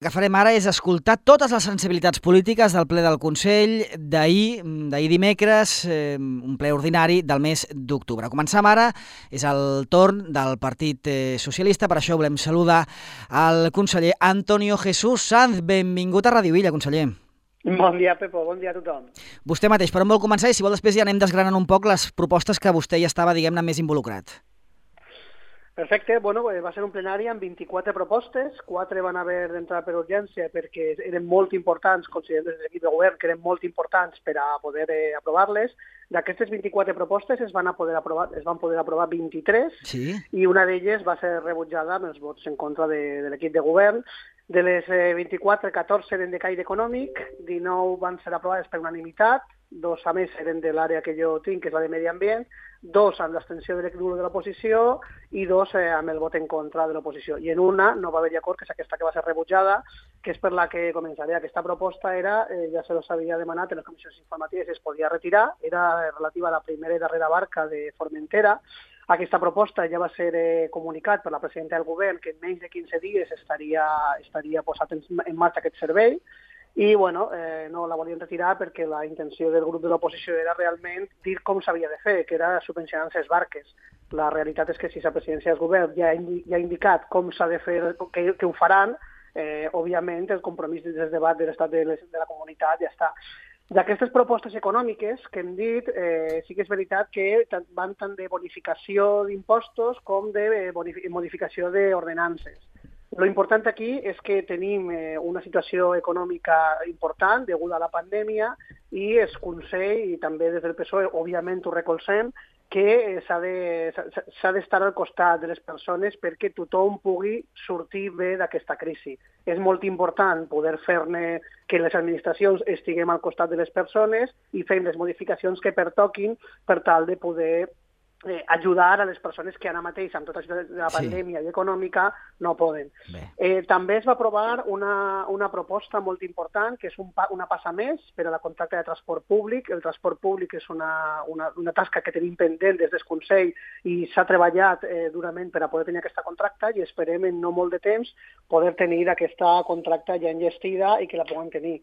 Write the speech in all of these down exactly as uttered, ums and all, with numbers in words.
El que farem ara és escoltar totes les sensibilitats polítiques del ple del Consell d'ahir, d'ahir dimecres, eh, un ple ordinari del mes d'octubre. Començam ara, és el torn del Partit eh, Socialista, per això volem saludar al conseller Antonio Jesús Sanz. Benvingut a Radio Illa, conseller. Bon dia, Pepo, bon dia a tothom. Vostè mateix, per on vol començar? I si vol després ja anem desgranant un poc les propostes que vostè ja estava, diguem-ne, més involucrat. Perfecte, bueno, va ser un plenari amb vint-i-quatre propostes, quatre van haver d'entrar per urgència perquè eren molt importants, considerem des de l'equip de govern que eren molt importants per a poder eh, aprovar-les. D'aquestes vint-i-quatre propostes es van, a poder aprovar, es van poder aprovar vint-i-tres, sí? I una d'elles va ser rebutjada amb els vots en contra de, de l'equip de govern. De les eh, vint-i-quatre, catorze eren de caire econòmic, dinou van ser aprovades per unanimitat, dos a més eren de l'àrea que jo tinc, que és la de medi ambient, dos amb l'abstenció de l'equip de l'oposició i dos eh, amb el vot en contra de l'oposició. I en una no va haver-hi acord, que és aquesta que va ser rebutjada, que és per la que començaré. Aquesta proposta era, eh, ja se los havia demanat en les comissions informatives, es podia retirar, era relativa a la primera i darrera barca de Formentera. Aquesta proposta ja va ser eh, comunicat per la presidenta del govern que en menys de quinze dies estaria, estaria posat en, en marxa aquest servei. I bueno, eh, no la volien retirar perquè la intenció del grup de l'oposició era realment dir com s'havia de fer, que era subvencionar les barques. La realitat és que si la presidència del govern ja ha, indi ja ha indicat com s'ha de fer, que, que ho faran, eh, òbviament el compromís del debat de l'estat de, de la comunitat ja està. D'aquestes propostes econòmiques que hem dit, eh, sí que és veritat que van tant de bonificació d'impostos com de modificació d'ordenances. Lo important aquí és que tenim eh, una situació econòmica important deguda a la pandèmia i el Consell, i també des del P S O E, òbviament ho recolzem, que s'ha d'estar al costat de les persones perquè tothom pugui sortir bé d'aquesta crisi. És molt important poder fer-ne que les administracions estiguem al costat de les persones i fem les modificacions que pertoquin per tal de poder Eh, ajudar a les persones que ara mateix, amb tota la pandèmia sí. i econòmica, no poden. Eh, també es va aprovar una, una proposta molt important, que és un pa, una passa més per a la contracta de transport públic. El transport públic és una, una, una tasca que tenim pendent des del Consell i s'ha treballat eh, durament per a poder tenir aquesta contracta i esperem en no molt de temps poder tenir aquesta contracta ja enllestida i que la puguem tenir.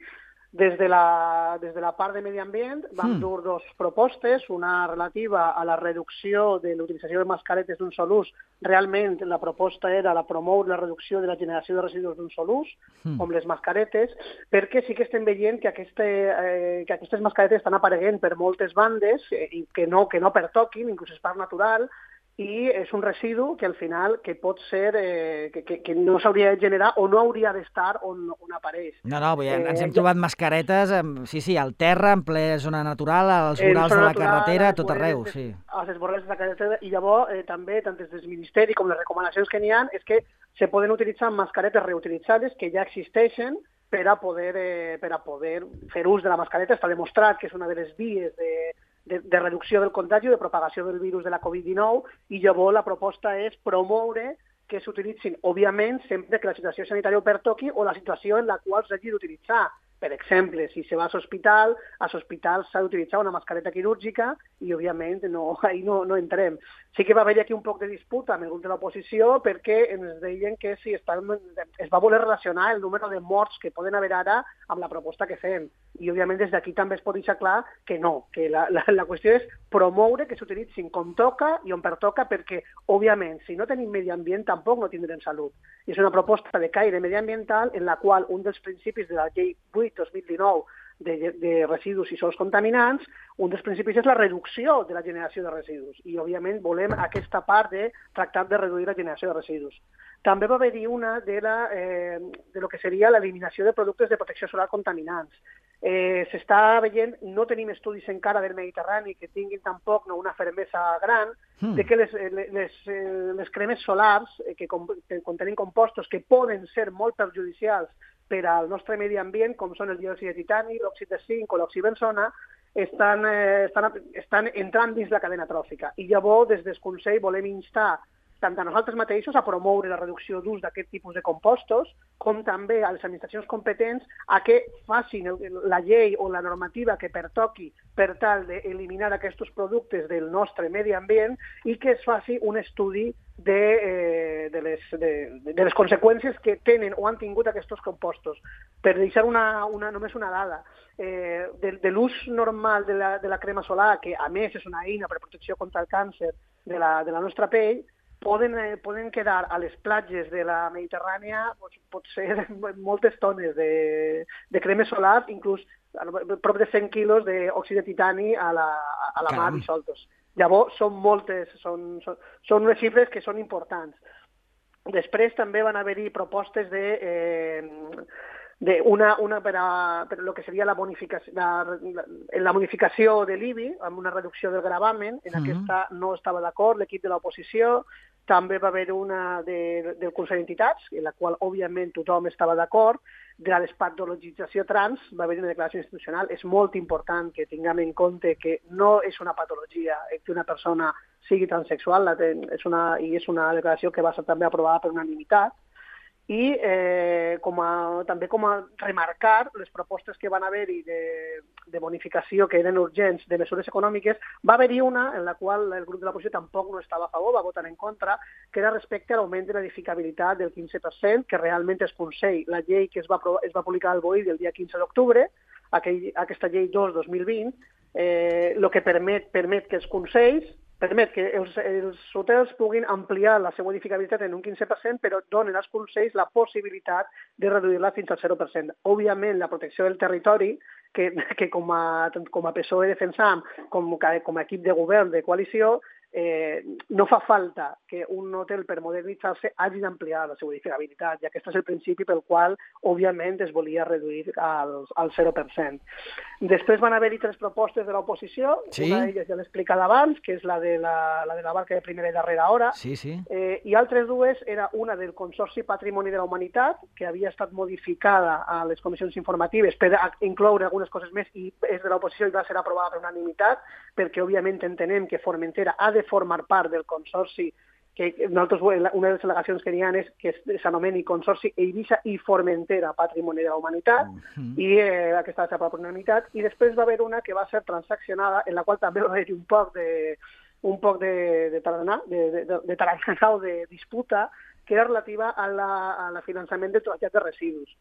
Des de la, des de la part de medi ambient vam mm. dur dos propostes, una relativa a la reducció de l'utilització de mascaretes d'un sol ús. Realment la proposta era la promoure la reducció de la generació de residus d'un sol ús, mm. com les mascaretes, perquè sí que estem veient que, aquesta, eh, que aquestes mascaretes estan apareguent per moltes bandes eh, i que no, que no pertoquin, inclús és part natural, i és un residu que al final que pot ser, eh, que, que, que no s'hauria de generar o no hauria d'estar on, on apareix. No, no, vull dir, ens hem eh, trobat mascaretes, sí, sí, al terra, en ple zona natural, als vorals de la natural, carretera, tot arreu, sí. Als esborrals de la carretera, i llavors eh, també, tant des del Ministeri com les recomanacions que n'hi ha, és que se poden utilitzar mascaretes reutilitzades que ja existeixen per a poder, eh, per a poder fer ús de la mascareta. Està demostrat que és una de les vies de De, de reducció del contagi, de propagació del virus de la covid dinou, i llavors la proposta és promoure que s'utilitzin, òbviament, sempre que la situació sanitària ho pertoqui o la situació en la qual s'hagi d'utilitzar. Per exemple, si se va a l'hospital, a l'hospital s'ha d'utilitzar una mascareta quirúrgica i, òbviament, no, ahí no, no entrem. Sí que va haver aquí un poc de disputa amb el grup de l'oposició perquè ens deien que si estan, es va voler relacionar el número de morts que poden haver ara amb la proposta que fem. I, òbviament, des d'aquí també es pot deixar clar que no, que la, la, la qüestió és promoure que s'utilitzin com toca i on pertoca perquè, òbviament, si no tenim medi ambient tampoc no tindrem salut. I és una proposta de caire mediambiental en la qual un dels principis de la llei vuit dos mil dinou de, de residus i sols contaminants, un dels principis és la reducció de la generació de residus i, òbviament, volem aquesta part de tractar de reduir la generació de residus. També va haver-hi una de, la, eh, de lo que seria l'eliminació de productes de protecció solar contaminants. Eh, S'està veient, no tenim estudis encara del Mediterrani que tinguin tampoc no, una fermesa gran, mm. de que les, les, les cremes solars eh, que, que contenen compostos que poden ser molt perjudicials per al nostre medi ambient, com són el diòxid de titani, l'òxid de zinc o l'oxibenzona, estan, eh, estan, estan entrant dins la cadena tròfica. I llavors, des del Consell, volem instar tant a nosaltres mateixos a promoure la reducció d'ús d'aquest tipus de compostos, com també a les administracions competents a que facin la llei o la normativa que pertoqui per tal d'eliminar aquests productes del nostre medi ambient i que es faci un estudi de, eh, de, les, de, de les conseqüències que tenen o han tingut aquests compostos. Per deixar una, una, només una dada, eh, de, de l'ús normal de la, de la crema solar, que a més és una eina per protecció contra el càncer de la, de la nostra pell, poden, eh, poden quedar a les platges de la Mediterrània doncs, pot ser moltes tones de, de crema solar, inclús prop de cent quilos d'òxid de titani a la, a la mar dissoltos. Llavors, són moltes, són, són, són unes xifres que són importants. Després també van haver-hi propostes de, eh, de una, una per, a, per lo que seria la bonificació, la, la, la bonificació de l'I B I, amb una reducció del gravamen. En mm-hmm. aquesta no estava d'acord l'equip de l'oposició. També va haver una de, del Consell d'Entitats, en la qual, òbviament, tothom estava d'acord. De la despatologització trans va haver una declaració institucional. És molt important que tinguem en compte que no és una patologia que una persona sigui transexual, és una, i és una declaració que va ser també aprovada per unanimitat. I eh, com a, també com a remarcar les propostes que van haver-hi de, de bonificació que eren urgents de mesures econòmiques, va haver-hi una en la qual el grup de l'oposició tampoc no estava a favor, va votar en contra, que era respecte a l'augment de l'edificabilitat del quinze per cent, que realment es consell. La llei que es va, es va publicar al B O I el dia quinze d'octubre, aquell, aquesta llei dos dos mil vint, eh, el que permet, permet que els consells permet que els, els hotels puguin ampliar la seva edificabilitat en un quinze per cent, però donen als consells la possibilitat de reduir-la fins al zero per cent. Òbviament, la protecció del territori, que, que com, a, com a P S O E defensam, com, com a equip de govern de coalició, eh, no fa falta que un hotel per modernitzar-se hagi d'ampliar la seva edificabilitat, i aquest és el principi pel qual, òbviament, es volia reduir al, al zero per cent. Després van haver-hi tres propostes de l'oposició, sí? Una d'elles ja l'he explicat abans, que és la de la, la de la barca de primera i darrera hora, sí, sí. Eh, i altres dues era una del Consorci Patrimoni de la Humanitat, que havia estat modificada a les comissions informatives per incloure algunes coses més, i és de l'oposició i va ser aprovada per unanimitat, perquè òbviament entenem que Formentera ha de formar part del consorci, que nosaltres, una de les al·legacions que hi ha és que s'anomeni Consorci Eivissa i Formentera Patrimoni de la Humanitat, uh-huh. i eh, aquesta va ser per unanimitat, i després va haver una que va ser transaccionada, en la qual també va haver un poc de un poc de, de taranà, de, de, de, de taranà o de disputa, que era relativa a la, a la finançament del trasllat de residus.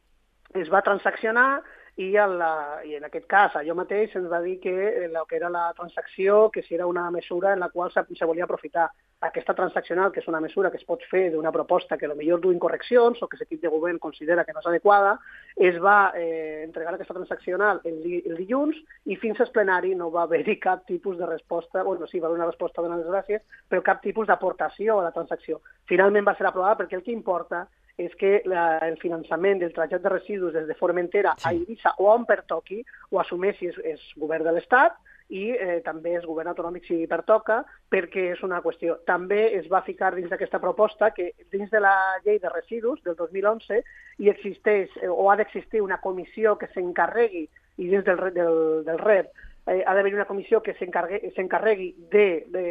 Es va transaccionar i, la, i en aquest cas allò mateix ens va dir que el que era la transacció, que si era una mesura en la qual se, se volia aprofitar. Aquesta transaccional, que és una mesura que es pot fer d'una proposta que potser du incorreccions o que l'equip de govern considera que no és adequada, es va eh, entregar aquesta transaccional el, el dilluns i fins al plenari no va haver-hi cap tipus de resposta, bueno, sí, va haver una resposta donant les gràcies, però cap tipus d'aportació a la transacció. Finalment va ser aprovada perquè el que importa és que la, el finançament del trasllat de residus des de Formentera sí. a Eivissa o on pertoqui ho assumeixi és, és govern de l'Estat i eh, també és govern autonòmic si pertoca, perquè és una qüestió. També es va ficar dins d'aquesta proposta que dins de la llei de residus del dos mil onze hi existeix eh, o ha d'existir una comissió que s'encarregui, i dins del, del, del R E D eh, ha d'haver una comissió que s'encarregui de, de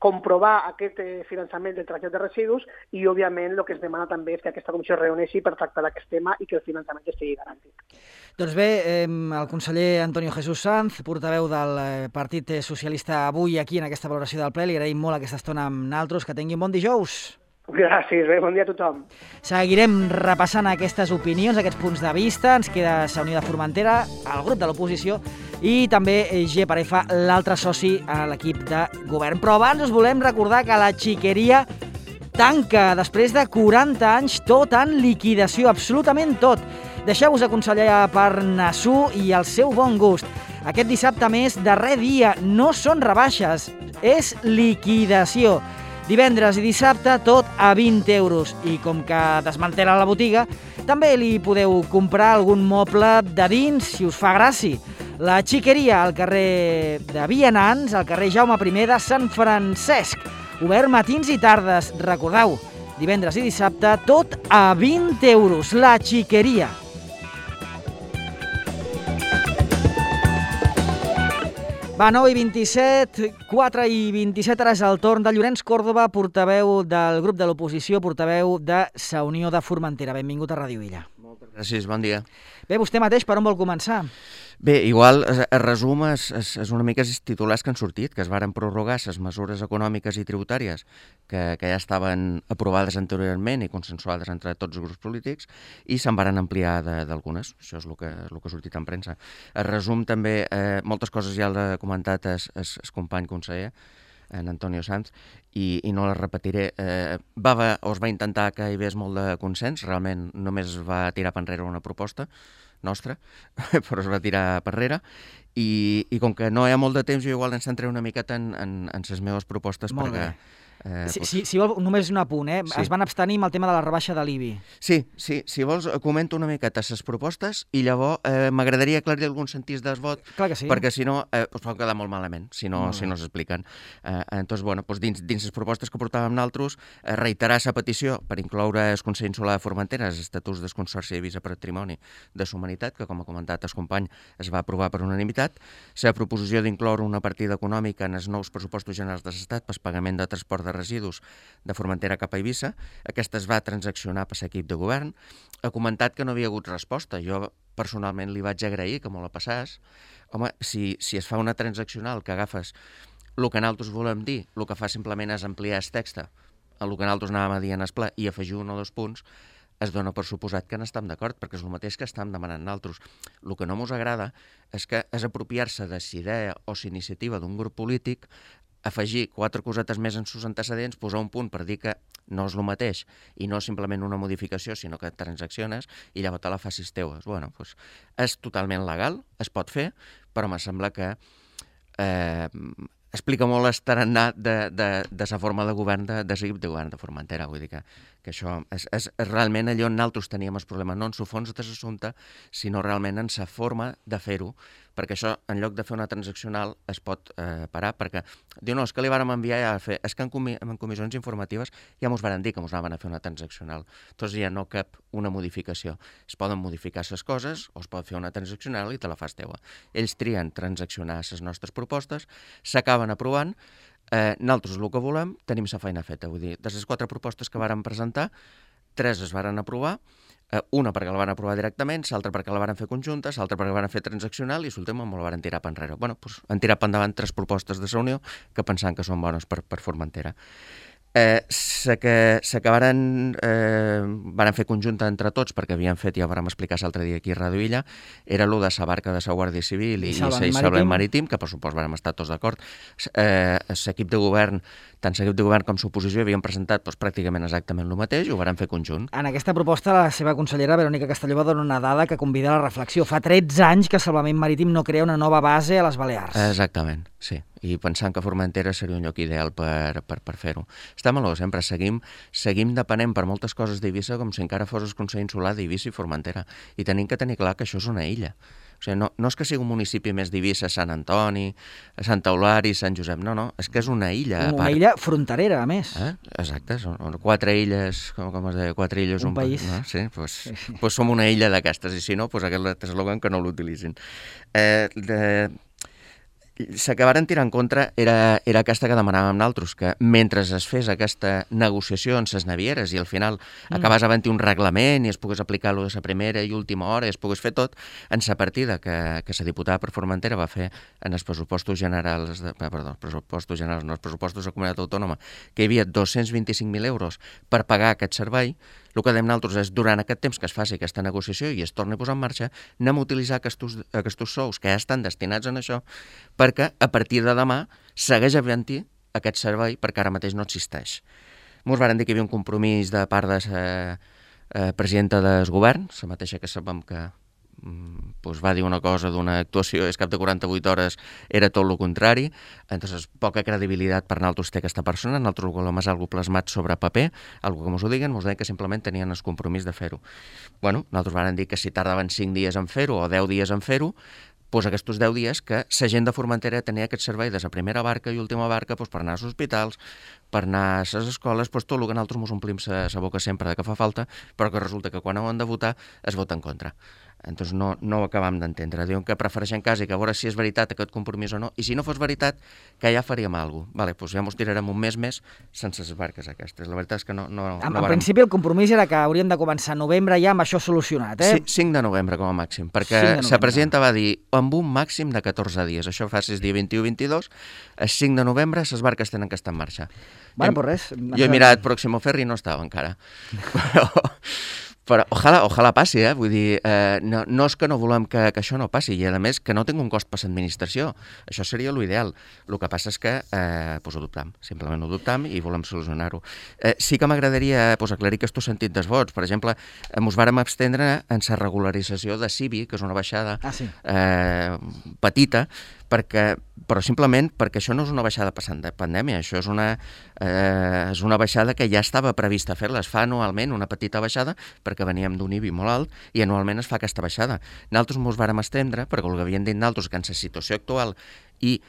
comprovar aquest eh, finançament del trasllat de residus, i òbviament el que es demana també és que aquesta comissió es reuneixi per tractar d'aquest tema i que el finançament estigui garantit. Doncs bé, eh, el conseller Antonio Jesús Sanz, portaveu del Partit Socialista, avui aquí en aquesta valoració del ple, li agraïm molt aquesta estona amb naltros, que tingui un bon dijous. Gràcies, bé, bon dia a tothom. Seguirem repassant aquestes opinions, aquests punts de vista. Ens queda la Unió de Formentera, el grup de l'oposició i també G per F, l'altre soci a l'equip de govern. Però abans us volem recordar que la xiqueria tanca després de quaranta anys, tot en liquidació, absolutament tot. Deixeu-vos aconsellar per Nassú i el seu bon gust. Aquest dissabte més, darrer dia, no són rebaixes, és liquidació. Divendres i dissabte tot a vint euros, i com que desmantela la botiga, també li podeu comprar algun moble de dins si us fa gràcia. La xiqueria al carrer de Vianants, al carrer Jaume primer de Sant Francesc. Obert matins i tardes, recordeu, divendres i dissabte tot a vint euros. La xiqueria. Va, nou i vint-i-set, quatre i vint-i-set, ara és el torn de Llorenç Còrdova, portaveu del grup de l'oposició, portaveu de la Unió de Formentera. Benvingut a Ràdio Illa. Moltes Gràcies, bon dia. Bé, vostè mateix per on vol començar? Bé, igual, el resum és, és, és una mica els titulars que han sortit, que es varen prorrogar les mesures econòmiques i tributàries que, que ja estaven aprovades anteriorment i consensuades entre tots els grups polítics i se'n varen ampliar d'algunes. Això és el que, el que ha sortit en premsa. El resum també, eh, moltes coses ja l'ha comentat el, el, el company conseller, en Antonio Sanz, i, i no les repetiré. Eh, va, va, o es va intentar que hi hagués molt de consens, realment només va tirar per enrere una proposta nostra, però es va tirar per enrere, i, i com que no hi ha molt de temps, jo igual ens centraré una miqueta en, en, en les meves propostes molt perquè... bé. Eh, si, pues... si, si vol, només un apunt, eh? Sí. Es van abstenir amb el tema de la rebaixa de l'I B I. Sí, sí, si vols comento una miqueta les propostes i llavors eh, m'agradaria aclarir alguns sentits del vot, clar que sí, perquè si no eh, pues pot quedar molt malament, si no, si no s'expliquen. Eh, entonces, bueno, pues dins, dins les propostes que portàvem nosaltres, eh, reiterar la petició per incloure el Consell Insular de Formentera, els estatuts del Consorci de Visa Patrimoni de la Humanitat, que com ha comentat el company es va aprovar per unanimitat, la proposició d'incloure una partida econòmica en els nous pressupostos generals de l'Estat per pagament de transport de residus de Formentera cap a Eivissa. Aquesta es va transaccionar per l'equip de govern. Ha comentat que no havia hagut resposta. Jo personalment li vaig agrair que me la passàs. Home, si, si es fa una transaccional que agafes el que nosaltres volem dir, el que fa simplement és ampliar el text, el que nosaltres anàvem a dir en el ple, i afegir un o dos punts, es dona per suposat que n'estem d'acord, perquè és el mateix que estem demanant nosaltres. El que no ens agrada és que és apropiar-se de la idea o la iniciativa d'un grup polític, afegir quatre cosetes més en sus antecedents, posar un punt per dir que no és el mateix i no és simplement una modificació, sinó que transacciones i llavors te la facis teues. Bueno, doncs és totalment legal, es pot fer, però me sembla que eh, explica molt el tarannà de, de, de la forma de govern de, de l'equip de govern de Formentera. Vull dir que, que això és, és, és realment allò on nosaltres teníem el problema, no en el fons de l'assumpte, sinó realment en la forma de fer-ho, perquè això, en lloc de fer una transaccional, es pot eh, parar, perquè diu, no, és que li vàrem enviar ja a fer, és que en, comi en comissions informatives ja mos varen dir que mos anaven a fer una transaccional. Doncs ja no cap una modificació. Es poden modificar les coses, o es pot fer una transaccional i te la fas teua. Ells trien transaccionar les nostres propostes, s'acaben aprovant, eh, nosaltres el que volem, tenim la feina feta. Vull dir, de les quatre propostes que vàrem presentar, tres es varen aprovar, una perquè la van aprovar directament, l'altra perquè la van fer conjunta, l'altra perquè la van fer transaccional i l'última me la van tirar per enrere. Bueno, doncs han tirat per endavant tres propostes de reunió que pensant que són bones per, per Formentera. Eh, la que, la que varen, eh, varen fer conjunta entre tots, perquè havien fet, ja ho vam explicar l'altre dia aquí a Radio Illa, era el de la barca de la Guàrdia Civil i, i el salvament marítim, que per supost vam estar tots d'acord. Eh, l'equip de govern, tant l'equip de govern com l'oposició havien presentat doncs, pràcticament exactament el mateix i ho varen fer conjunt. En aquesta proposta la seva consellera Verònica Castelló va donar una dada que convida a la reflexió. Fa tretze anys que Salvament Marítim no crea una nova base a les Balears. Exactament, sí. I pensant que Formentera seria un lloc ideal per, per, per fer-ho. Està maló, sempre seguim, seguim depenent per moltes coses d'Eivissa com si encara fos el Consell Insular d'Eivissa i Formentera. I tenim que tenir clar que això és una illa. O sigui, no, no és que sigui un municipi més d'Eivissa, Sant Antoni, Santa Eulària, Sant Josep, no, no, és que és una illa a part. Una illa fronterera, a més. Eh? Exacte, són quatre illes, com, com es deia, quatre illes... Un, un país. No? Sí, doncs pues, pues som una illa d'aquestes, i si no, pues aquest eslògan que no l'utilitzin. Eh, de... La que varen tirar en contra era, era aquesta que demanàvem nosaltres, que mentre es fes aquesta negociació en les navieres i al final mm. acabàs havent-hi un reglament i es pogués aplicar lo de la primera i última hora i es pogués fer tot, en la partida que, que la diputada per Formentera va fer en els pressupostos generals, de, perdó, pressupostos generals, no, els pressupostos de la comunitat autònoma, que hi havia dos-cents vint-i-cinc mil euros per pagar aquest servei, el que dèiem nosaltres és, durant aquest temps que es faci aquesta negociació i es torni a posar en marxa, anem a utilitzar aquests, aquests sous que ja estan destinats en això, perquè a partir de demà segueix havent-hi aquest servei, perquè ara mateix no existeix. Ens varen dir que hi havia un compromís de part de la eh, presidenta del govern, la mateixa que sabem que pues va dir una cosa d'una actuació i al cap de quaranta-vuit hores era tot el contrari, entonces poca credibilitat per nosaltres té aquesta persona, nosaltres volem és algo plasmat sobre paper, algo que mos ho diguen, mos deien que simplement tenien el compromís de fer-ho. Bueno, nosaltres van dir que si tardaven cinc dies en fer-ho o deu dies en fer-ho, doncs aquests deu dies que la gent de Formentera tenia aquest servei de la primera barca i última barca doncs, per anar als hospitals, per anar a les escoles, doncs, tot el que nosaltres ens omplim la boca sempre de que fa falta, però que resulta que quan ho han de votar es vota en contra. Entonces no, no ho acabam d'entendre. Diuen que prefereixen quasi que a veure si és veritat aquest compromís o no, i si no fos veritat, que ja faríem alguna cosa. Vale, doncs ja mos tirarem un mes més sense les barques aquestes. La veritat és que no... no, en, no en varem... principi el compromís era que hauríem de començar a novembre ja amb això solucionat, eh? Sí, cinc de novembre com a màxim, perquè la presidenta va dir amb un màxim de catorze dies. Això fa si és dia vint-i-u vint-i-dos, el cinc de novembre les barques tenen que estar en marxa. Bueno, pues res. Jo he mirat Próximo Ferry i no estava encara. Però... Però ojalà, ojalà passi, eh? Vull dir, eh, no, no és que no volem que, que això no passi, i a més que no tingui un cost per l'administració. Això seria l'ideal. El que passa és que eh, pues ho dubtam, simplement ho dubtam i volem solucionar-ho. Eh, sí que m'agradaria pues, aclarir que tu sentit dels vots. Per exemple, eh, ens vàrem abstendre en la regularització de C I B I, que és una baixada ah, sí. eh, petita, perquè, però simplement perquè això no és una baixada passant de pandèmia, això és una, eh, és una baixada que ja estava prevista fer-la. Es fa anualment una petita baixada perquè veníem d'un I B I molt alt i anualment es fa aquesta baixada. Nosaltres ens vàrem estendre perquè el que havien dit nosaltres que en la situació actual i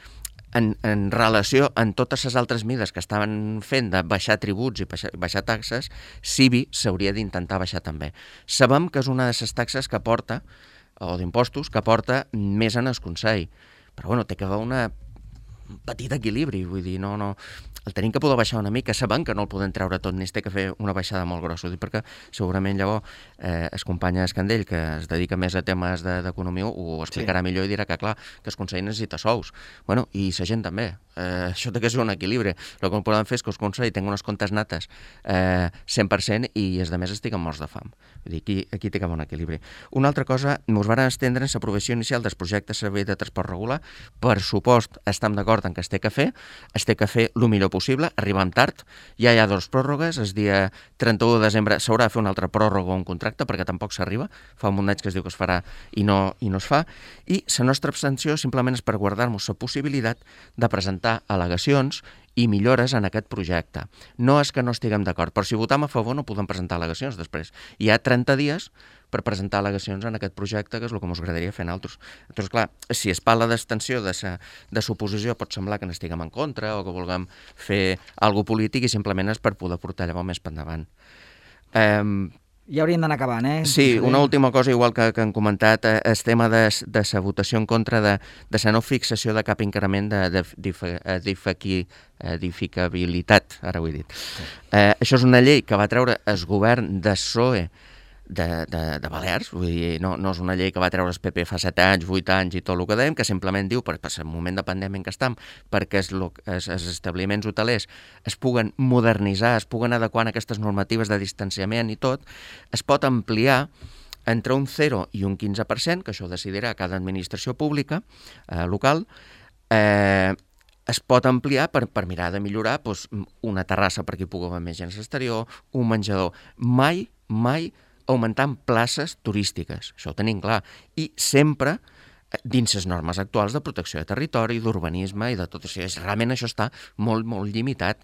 en, en relació amb totes les altres mides que estaven fent de baixar tributs i baixar, baixar taxes, C I B I s'hauria d'intentar baixar també. Sabem que és una de les taxes que porta, o d'impostos, que porta més en el Consell. Però bueno, té que haver una un petit equilibri, vull dir, no, no... El tenim que poder baixar una mica, sabem que no el podem treure tot, ni es té que fer una baixada molt grossa, ho dic perquè segurament llavors eh, el company Escandell, que es dedica més a temes d'economia, ho explicarà sí. millor i dirà que, clar, que el Consell necessita sous. Bueno, i la gent també. Eh, això té que ser un equilibri. El que podem fer és que el Consell tingui unes comptes nates eh, cent per cent i els altres estiguen morts de fam. Vull dir, aquí, aquí té que haver un equilibri. Una altra cosa, ens van estendre en l'aprovació inicial dels projectes de servei de transport regular. Per supost, estem d'acord en que es té que fer, es té que fer el millor possible, arribem tard, ja hi ha dues pròrrogues, el dia trenta-u de desembre s'haurà de fer una altra pròrroga o un contracte perquè tampoc s'arriba, fa un munt d'anys que es diu que es farà i no, i no es fa, i la nostra abstenció simplement és per guardar-nos la possibilitat de presentar al·legacions i millores en aquest projecte. No és que no estiguem d'acord, però si votam a favor no podem presentar al·legacions després. Hi ha trenta dies per presentar al·legacions en aquest projecte, que és el que ens agradaria fer nosaltres. Llavors, clar, si es parla d'extensió de l'oposició, pot semblar que n'estiguem en contra o que vulguem fer alguna polític i simplement és per poder portar llavors més per endavant. Eh, Ja hauríem d'anar acabant, eh? Sí, una última cosa, igual que, que han comentat, eh, el tema de, de la votació en contra de, de la no fixació de cap increment d'edificabilitat, ara ho he dit. Sí. Eh, això és una llei que va treure el govern de P S O E de, de, de Balears, vull dir, no, no és una llei que va treure el P P fa set anys, vuit anys i tot el que dèiem, que simplement diu, per, per el moment de pandèmia en què estem, perquè els, els, els establiments hotelers es puguen modernitzar, es puguen adequar a aquestes normatives de distanciament i tot, es pot ampliar entre un zero i un quinze per cent, que això ho decidirà cada administració pública eh, local, eh, es pot ampliar per, per mirar de millorar doncs, una terrassa perquè hi pugui haver més gent a l'exterior, un menjador. Mai, mai augmentant places turístiques, això ho tenim clar, i sempre dins les normes actuals de protecció de territori, d'urbanisme i de tot això. Realment això està molt, molt limitat.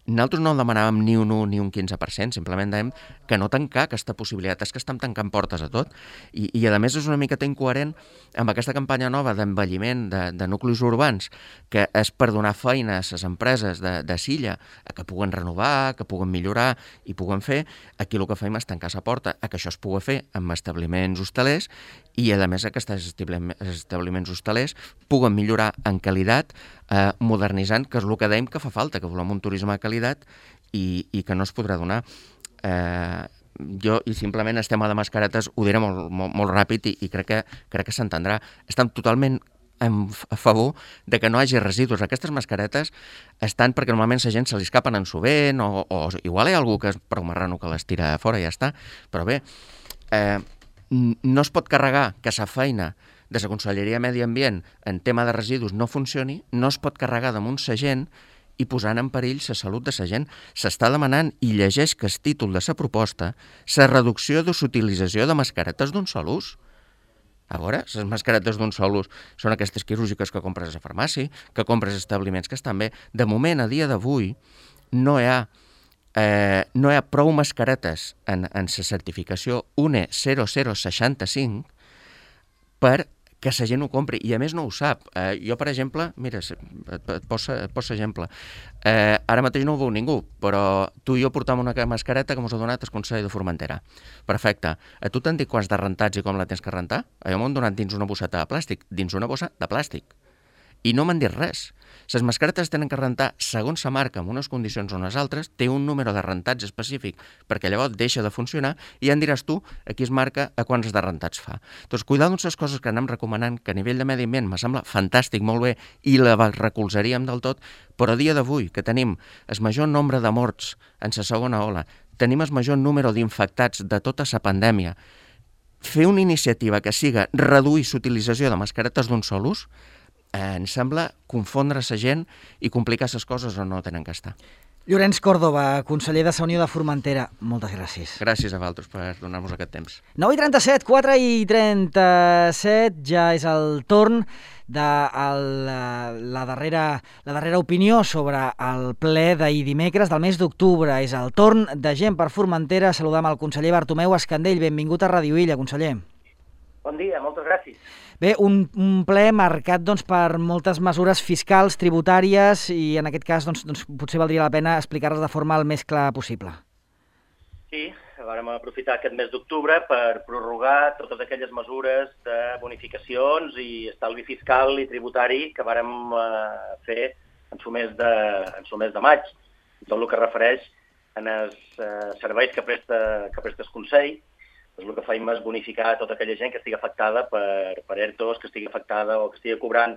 Nosaltres no demanàvem ni un un ni un quinze per cent, simplement dèiem que no tancar aquesta possibilitat, és que estem tancant portes a tot. I, i a més és una miqueta incoherent amb aquesta campanya nova d'envelliment de, de nuclis urbans, que és per donar feina a les empreses de, de Silla, a que puguen renovar, que puguen millorar i puguen fer. Aquí el que fem és tancar la porta a que això es pugui fer amb establiments hostelers i, a més, aquests establiments hostelers puguen millorar en qualitat, eh, modernitzant, que és el que dèiem que fa falta, que volem un turisme de qualitat i, i que no es podrà donar. Eh, jo, i simplement el tema de mascaretes, ho diré molt, molt, molt ràpid i, i crec que, crec que s'entendrà. Estem totalment a favor de que no hi hagi residus. Aquestes mascaretes estan perquè normalment la gent se li escapen en sovint o, o igual hi ha algú que és prou marrano que les tira a fora i ja està. Però bé, eh, no es pot carregar que la feina de la Conselleria de Medi Ambient en tema de residus no funcioni, no es pot carregar damunt la gent i posant en perill la salut de la gent. S'està demanant, i llegeix que el títol de la proposta, la reducció de l'utilització de mascaretes d'un sol ús. A veure, les mascaretes d'un sol ús són aquestes quirúrgiques que compres a la farmàcia, que compres a establiments que estan bé. De moment, a dia d'avui, no hi ha Eh, no hi ha prou mascaretes en, en la certificació U N E zero zero seixanta-cinc per que la gent ho compri, i a més no ho sap. Eh, jo, per exemple, mira, et, et poso, et poso exemple, eh, ara mateix no ho veu ningú, però tu i jo portam una mascareta que mos ha donat el Consell de Formentera. Perfecte. A tu t'han dit quants de rentats i com la tens que rentar? A jo m'ho han donat dins una bosseta de plàstic, dins una bossa de plàstic. I no m'han dit res. Les mascaretes tenen que rentar segons la marca, en unes condicions o unes altres, té un número de rentats específic, perquè llavors deixa de funcionar i ja en diràs tu a qui es marca a quants de rentats fa. Doncs cuidar d'unes coses que anem recomanant, que a nivell de medi ambient me sembla fantàstic, molt bé, i la recolzaríem del tot, però a dia d'avui, que tenim el major nombre de morts en la segona ola, tenim el major número d'infectats de tota la pandèmia, fer una iniciativa que siga reduir l'utilització de mascaretes d'un sol ús, Eh, em sembla confondre la gent i complicar les coses on no tenen que estar. Llorenç Còrdova, conseller de la Unió de Formentera, moltes gràcies. Gràcies a vosaltres per donar-nos aquest temps. nou i trenta-set, quatre i trenta-set, ja és el torn de el, la, darrera, la darrera opinió sobre el ple d'ahir dimecres del mes d'octubre. És el torn de Gent per Formentera. Saludam el conseller Bartomeu Escandell. Benvingut a Ràdio Illa, conseller. Bon dia, moltes gràcies. Bé, un, un ple marcat doncs, per moltes mesures fiscals, tributàries, i en aquest cas doncs, doncs, potser valdria la pena explicar-les de forma el més clara possible. Sí, vam aprofitar aquest mes d'octubre per prorrogar totes aquelles mesures de bonificacions i estalvi fiscal i tributari que vàrem eh, fer en el mes de, en el mes de maig. Tot el que refereix en els eh, serveis que presta, que presta el Consell. Doncs el que faim és bonificar tota aquella gent que estigui afectada per, per ERTOs, que estigui afectada o que estigui cobrant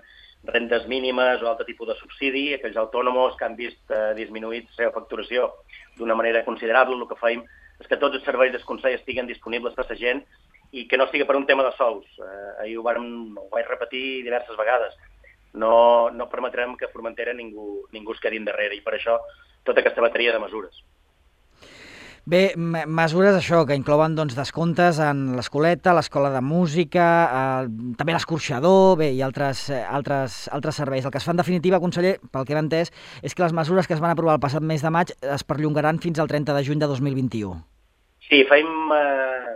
rendes mínimes o altre tipus de subsidi, aquells autònoms que han vist eh, disminuït la seva facturació d'una manera considerable. El que faim és que tots els serveis del Consell estiguen disponibles per a la gent i que no sigui per un tema de sous. Eh, ahir ho, vam, ho vaig repetir diverses vegades. No, no permetrem que a Formentera ningú, ningú es quedi endarrere, i per això tota aquesta bateria de mesures. Bé, mesures això, que inclouen doncs, descomptes en l'escoleta, l'escola de música, eh, també l'escorxador, bé, i altres, eh, altres, altres serveis. El que es fa en definitiva, conseller, pel que hem entès, és que les mesures que es van aprovar el passat mes de maig es perllongaran fins al trenta de juny de dos mil vint-i-u. Sí, faim eh,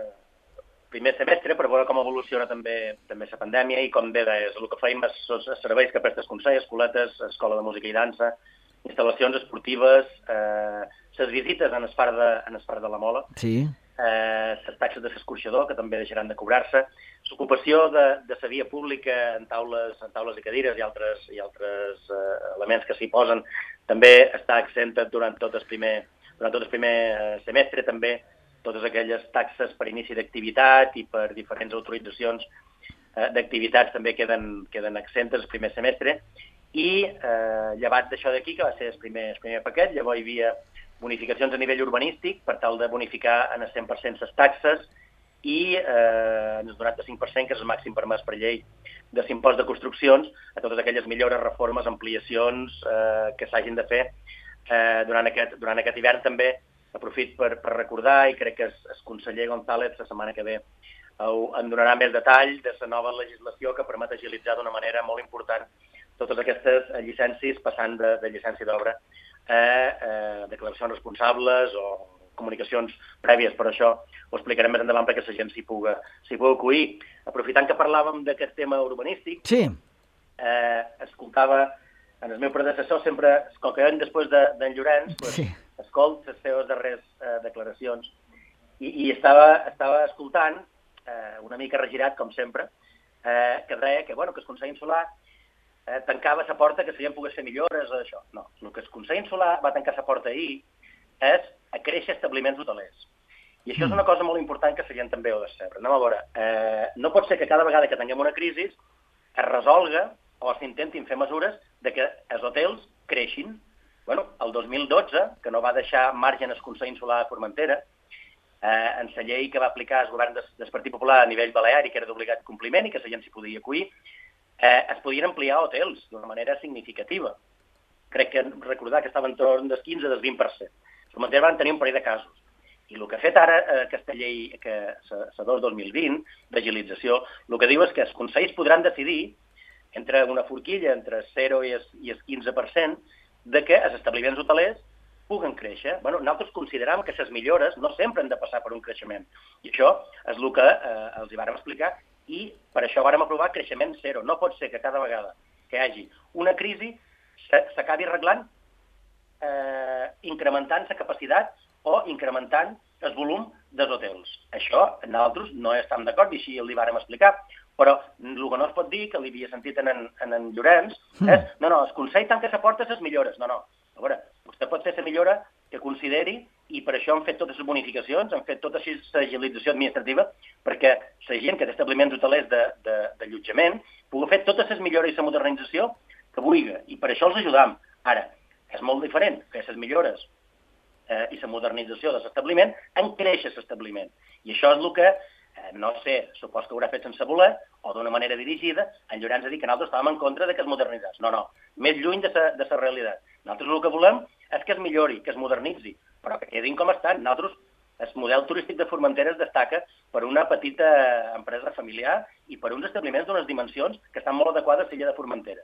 primer semestre per veure com evoluciona també també la pandèmia, i com bé deies, el que faim és els serveis que presta el Consell, escoletes, escola de música i dansa, instal·lacions esportives, eh, les visites en el parc de, en el parc de la Mola, sí. eh, les taxes de l'escorxador, que també deixaran de cobrar-se, l'ocupació de, de la via pública en taules, en taules i cadires i altres, i altres eh, elements que s'hi posen, també està exenta durant tot el primer, durant tot el primer eh, semestre, també totes aquelles taxes per inici d'activitat i per diferents autoritzacions eh, d'activitats també queden, queden exentes el primer semestre, i eh, llevat d'això d'aquí, que va ser el primer, el primer paquet, llavors hi havia bonificacions a nivell urbanístic per tal de bonificar en el cent per cent les taxes i eh, en el noranta-cinc per cent, que és el màxim permès per llei de l'impost de construccions, a totes aquelles millores, reformes, ampliacions eh, que s'hagin de fer eh, durant, aquest, durant aquest hivern. També aprofit per, per recordar, i crec que el, el conseller González la setmana que ve en donarà més detall de la nova legislació que permet agilitzar d'una manera molt important totes aquestes llicències, passant de, de llicència d'obra a eh, declaracions responsables o comunicacions prèvies. Per això ho explicarem més endavant perquè la gent s'hi pugui, s'hi pugui acudir. Aprofitant que parlàvem d'aquest tema urbanístic, sí. eh, escoltava en el meu predecessor, sempre, com que ven després d'en de, Llorenç, pues, sí. escolt les seves darreres eh, declaracions i, i estava, estava escoltant, eh, una mica regirat, com sempre, eh, que deia que, bueno, que el Consell Insular Eh, tancava la porta que la gent pogués fer millores o això. No, el que el Consell Insular va tancar la porta ahir és a créixer establiments hotelers. I això és una cosa molt important que la gent també ho ha de saber. Anem a veure, eh, no pot ser que cada vegada que tinguem una crisi es resolga o s'intentin fer mesures de que els hotels creixin. Bueno, el dos mil dotze, que no va deixar marge al Consell Insular de Formentera, eh, en la llei que va aplicar el govern del, del Partit Popular a nivell balear i que era d'obligat compliment i que la gent s'hi podia acudir, Eh, es podien ampliar hotels d'una manera significativa. Crec que recordar que estava en torn del quinze al vint per cent. Formentera van tenir un parell de casos. I el que ha fet ara eh, aquesta llei, que la dos dos mil vint, d'agilització, el que diu és que els consells podran decidir entre una forquilla entre el zero i el, i el quinze per cent de que els establiments hotelers puguen créixer. Bueno, nosaltres considerem que les millores no sempre han de passar per un creixement. I això és el que eh, els hi vàrem explicar i per això vàrem aprovar creixement zero. No pot ser que cada vegada que hi hagi una crisi s'acabi arreglant eh, incrementant la capacitat o incrementant el volum dels hotels. Això nosaltres no estem d'acord i així li vàrem explicar, però el que no es pot dir, que li havia sentit en en, en, en Llorenç, mm. és no, no, el Consell tanca les portes les millores. No, no. A veure, vostè pot fer la millora que consideri i per això han fet totes les bonificacions, han fet tota l'agilització administrativa perquè la gent que té establiments hotelers d'allotjament pugui fer totes les millores i la modernització que vulgui i per això els ajudam. Ara, és molt diferent fer les millores eh, i la modernització de l'establiment en créixer l'establiment. I això és el que, eh, no sé, supos que haurà fet sense voler o d'una manera dirigida, en Llorenç ha dit que nosaltres estàvem en contra de que es modernitzés. No, no, més lluny de la realitat. Nosaltres el que volem és que es millori, que es modernitzi, però que quedin com estan. Nosaltres, el model turístic de Formentera es destaca per una petita empresa familiar i per uns establiments d'unes dimensions que estan molt adequades a l'illa de Formentera.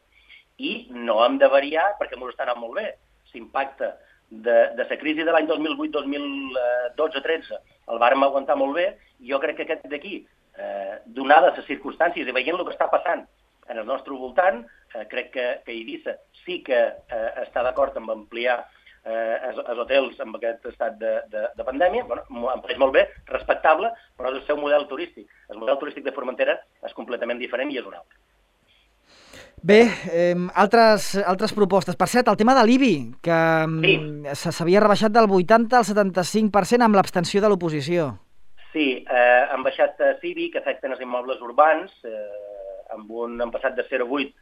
I no hem de variar perquè ens està anant molt bé. L'impacte de, de la crisi de l'any dos mil vuit dos mil dotze tretze el vàrem aguantar molt bé i jo crec que aquest d'aquí, eh, donades les circumstàncies i veient el que està passant en el nostre voltant, eh, crec que, que Eivissa sí que eh, està d'acord amb ampliar eh, els, els hotels amb aquest estat de, de, de pandèmia. Bueno, em pareix molt bé, respectable, però és el seu model turístic. El model turístic de Formentera és completament diferent i és un altre. Bé, eh, altres, altres propostes. Per cert, el tema de l'I B I, que sí. s'havia rebaixat del vuitanta al setanta-cinc per cent amb l'abstenció de l'oposició. Sí, eh, han baixat l'I B I, que afecten els immobles urbans, eh, amb un, han passat de zero coma vuit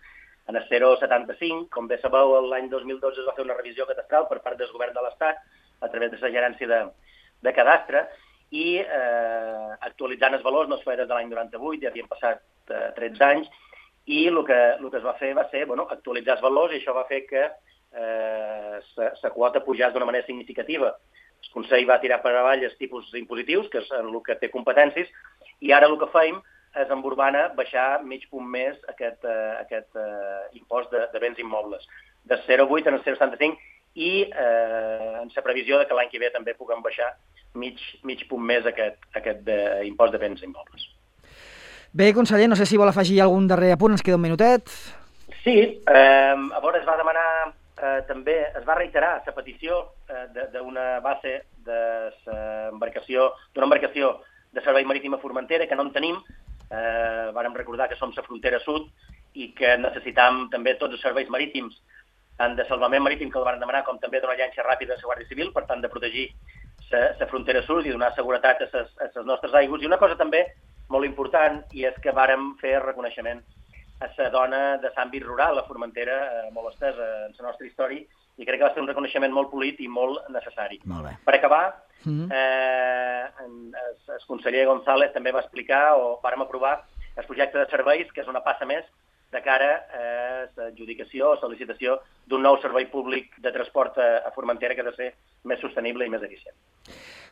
a zero coma setanta-cinc. Com bé sabeu, l'any dos mil dotze es va fer una revisió catastral per part del govern de l'Estat a través de la gerència de, de cadastre i eh, actualitzant els valors no es feia des de l'any noranta-vuit, ja havien passat eh, tretze anys, i el que, el que es va fer va ser bueno, actualitzar els valors i això va fer que eh, la quota pujés d'una manera significativa. El Consell va tirar per avall els tipus impositius, que és el que té competències, i ara el que feim és en Urbana baixar mig punt més aquest, eh, aquest eh, impost de, de béns immobles, de zero coma vuit a zero coma setanta-cinc i eh, en la previsió de que l'any que ve també puguem baixar mig, mig punt més aquest, aquest de, impost de béns immobles. Bé, conseller, no sé si vol afegir algun darrer apunt, ens queda un minutet. Sí, eh, a veure, es va demanar eh, també, es va reiterar la petició eh, d'una base de embarcació, d'una embarcació de servei marítim a Formentera, que no en tenim. Eh, vàrem recordar que som la frontera sud i que necessitam també tots els serveis marítims, tant de salvament marítim que el van demanar, com també d'una llanxa ràpida de la Guàrdia Civil, per tant de protegir la frontera sud i donar seguretat a les nostres aigües. I una cosa també molt important, i és que vàrem fer reconeixement a la dona de l'àmbit rural, a Formentera, eh, molt estesa en la nostra història, i crec que va ser un reconeixement molt polit i molt necessari. Molt bé. Per acabar, mm-hmm. eh, el, el conseller González també va explicar, o vàrem aprovar, el projecte de serveis, que és una passa més de cara a l'adjudicació o sol·licitació d'un nou servei públic de transport a, a Formentera que ha de ser més sostenible i més eficient.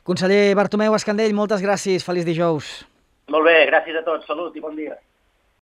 Conseller Bartomeu Escandell, moltes gràcies. Feliç dijous. Molt bé, gràcies a tots. Salut i bon dia.